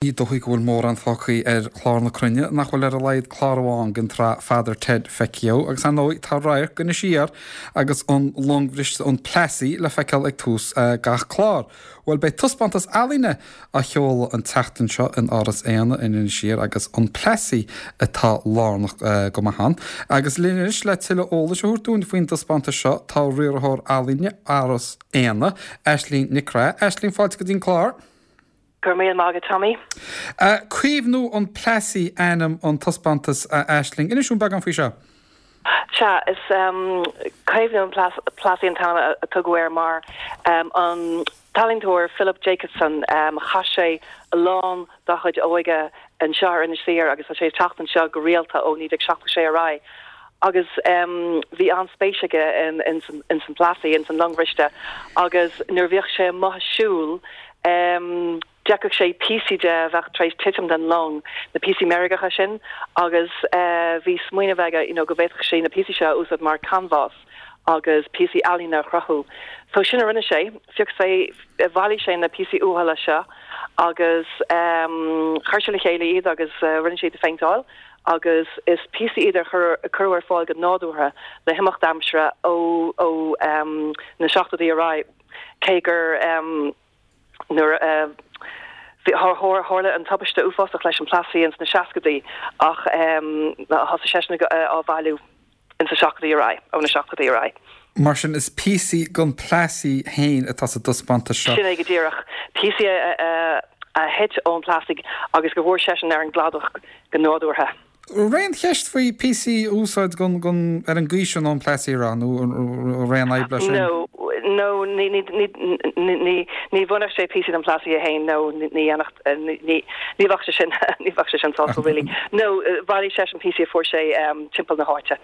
Ní dóichí go bhfuil mórán fágtha ar chlár na cruinne nach bhfuil ar a laghad clár amháin den tsraith Father Ted feicthe acu, agus ar ndóigh tá radharc d'Inis Oírr agus an long bhriste an Plassey le feiceáil ag tús gach clár. Bhuel, beidh taispeántas ealaíne á sheoladh an tseachtain seo in Áras Éanna in Inis Oírr agus an Plassey atá lárnach go maith ann. Agus linn anois le tuilleadh eolais a thabhairt dúinn faoin dtaispeántas seo tá riarthóir ealaíne Áras Éanna, Aisling Nic Craith. Aisling, fáilte go dtí an clár. Go raibh míle maith agat, Tommy. Caomhnú an Plassey ainm an taispeántais, a Aisling. Inis dúinn beagán faoi seo. Sea, is Caomhnú an Plassey an t-ainm a tugadh air mar an t-ealaíontóir Philip Jacobsen, chaith sé a lán dá chuid óige anseo ar Inis Oírr agus tá sé ag teacht anseo go rialta ó 1976 ar aghaidh agus bhí an-spéis aige ins an Plassey, ins an long bhriste agus nuair a bhíodh sé amuigh ag siúl D'fheicfeadh sé píosaí de a bheadh tar éis titim den long, na píosaí meirgeacha sin, agus bhí smaoineamh aige you know go bhféadfadh sé na píosaí seo a úsáid mar canbhás agus píosaí ealaíne a chruthú. So sin a rinne sé, phioc sé, bhailigh sé na píosaí uathúla seo agus chuir sé le chéile iad agus rinne sé iad a phéinteáil agus is píosaí iad a cuireadh ar fáil go nádúrtha le himeacht aimsire ó ó na seachtóidí ar aghaidh. Cé gur nuair a tharla an tubaiste uafásach leis an Plassey ins na seascaidí ach thosaigh seisean á bhailiú ins na seachtóidí ar aghaidh, ó na seachtóidí ar aghaidh. Mar sin is píosaí den Plassey féin atá sa dtaispeántas seo. Sin é go díreach. Píosaí a thit ón Plassey agus go bhfuair seisean ar an gcladach go nádúrtha. Raibh aon cheist faoi píosaí a úsáid gon, gon, ar an gcaoi sin ón Plassey a rá, nó an raibh aon fhadhb leis sin? No, no, ní, ní, ní, ní, ní bhainfeadh sé píosaí den Plassey é fhéin, no, ní dhéanfadh, ní, ní, ní bheadh sé sin, ní bheadh sé sin sásúil really. No, bhailigh seisean píosaí a fuair sé timpeall na háite,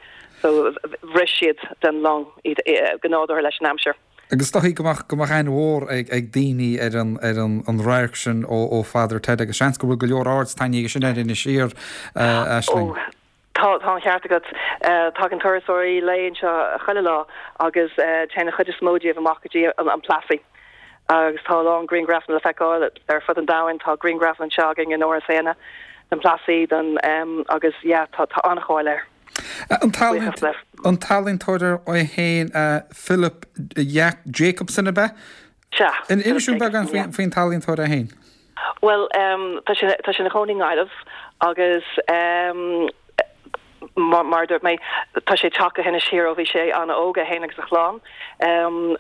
so bhris siad den long iad go nádúrtha leis an aimsir. Agus is dóichí go mbeadh, go mbeadh aithne mhór ag, ag daoine ar an, ar an, an radharc sin ó, ó Father Ted agus seans go bhfuil go leor aird tarraingthe aige sin ar Inis Oírr, a Aisling. Ó, tá, tá an ceart agat. Tagann turasóirí lae anseo chuile lá agus téann an chuid is mó díobh amach go dtí an, an Plassey. Agus tá a lán grianghrafanna le feiceáil ar fud an domhain, tá grianghrafanna anseo againn in Áras Éanna den Plassey, den, agus yeah, tá, tá an-cháil air. An t-ealaíontóir é féin Philip Jacobsen ab ea? Sea. Inis dúinn beagán faoin t-ealaíontóir é féin. Bhuel, tá sé tá sé ina chónaí i nGaillimh agus mar a dúirt mé, tá sé ag teacht go hInis Oírr ó bhí sé an-óg, é féin agus a chlann.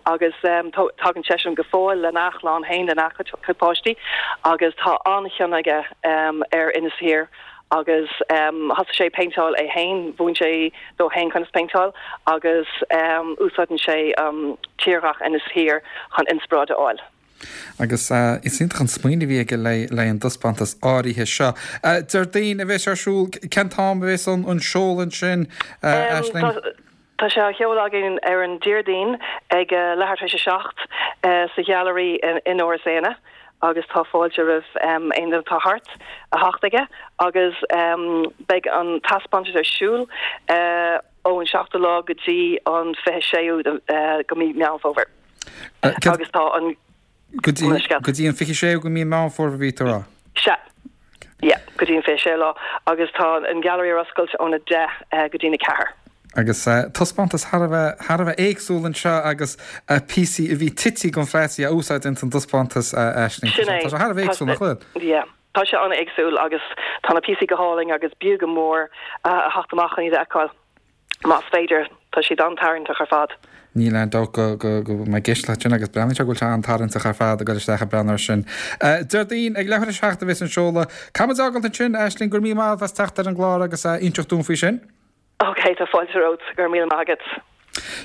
Agus tagann seisean go fóill lena chlann féin, lena chuid páistí agus tá an-chion aige ar Inis Oírr. agus thosaigh sé ag péinteáil é féin, mhúin sé dó féin conas péinteáil agus úsáideann sé tírdhreach Inis Oírr chun inspioráid a fháil. Agus is iontach an smaoineamh a bhí aige le an dtaispeántas áirithe seo. Déardaoin a bheas ar siúl, cén t-am a bheas an seoladh ansin, Aisling? Tá sé á sheoladh againn ar an Déardaoin ag leathuair tar éis 7 sa Ghailearaí in Áras Éanna agus tá fáilte roimh aon duine atá thart a theacht aige agus beidh an taispeántas ar siúl ón seachtú lá go dtí an 26ú de mhí Meán Fómhair agus tá an Go dtí, go dtí an 26ú de mhí Meán Fómhair a bhí tú a rá? Sea. Yeah, go dtí an 26ú lá. Agus tá an Gallery ar oscailt óna 10 go dtí na 4. Agus taispeántas thar a bheith, thar a bheith éagsúil anseo agus píosaí a bhí tite den Plassey a úsáid ins an dtaispeántas, Aisling. Sin é. Tá sé thar a bheith éagsúil, nach bhfuil? Yeah. Tá sé an-éagsúil agus tá na píosaí go hálainn agus b'fhiú go mór a theacht amach chun iad a fheiceáil. Más féidir, tá siad an-tarraingteach ar fad. Níl aon dabht go mbeidh i gceist leat sin agus breathnaíonn sé go bhfuil sé an-tarraingteach ar fad ag dul isteach ag breathnú air sin. Déardaoin ag leathuair tar éis a 7 a bheas an seoladh. Caithfidh muid a fhágáilt ansin, Aisling, go raibh míle maith agat as teacht ar an gclár agus a inseacht dúinn faoi sin. Ok, tá fáilte romhat, go raibh míle maith agat.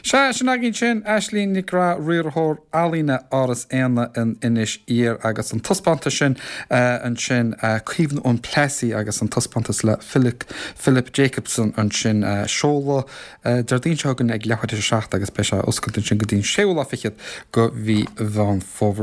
Sea, sin againn sin, Aisling Nic Graith, Riarthóir Ealaíne Áras Éanna in Inis Oírr agus an taispeántas sin ansin, Caomhnú an Plassey agus an taispeántas le Philip, Philip Jacobsen ansin, seoladh Déardaoin seo chugainn ag leathuair tar éis a 7 agus beidh sé oscailte ansin go dtí an séú lá fichead de mhí Mheán Fómhair.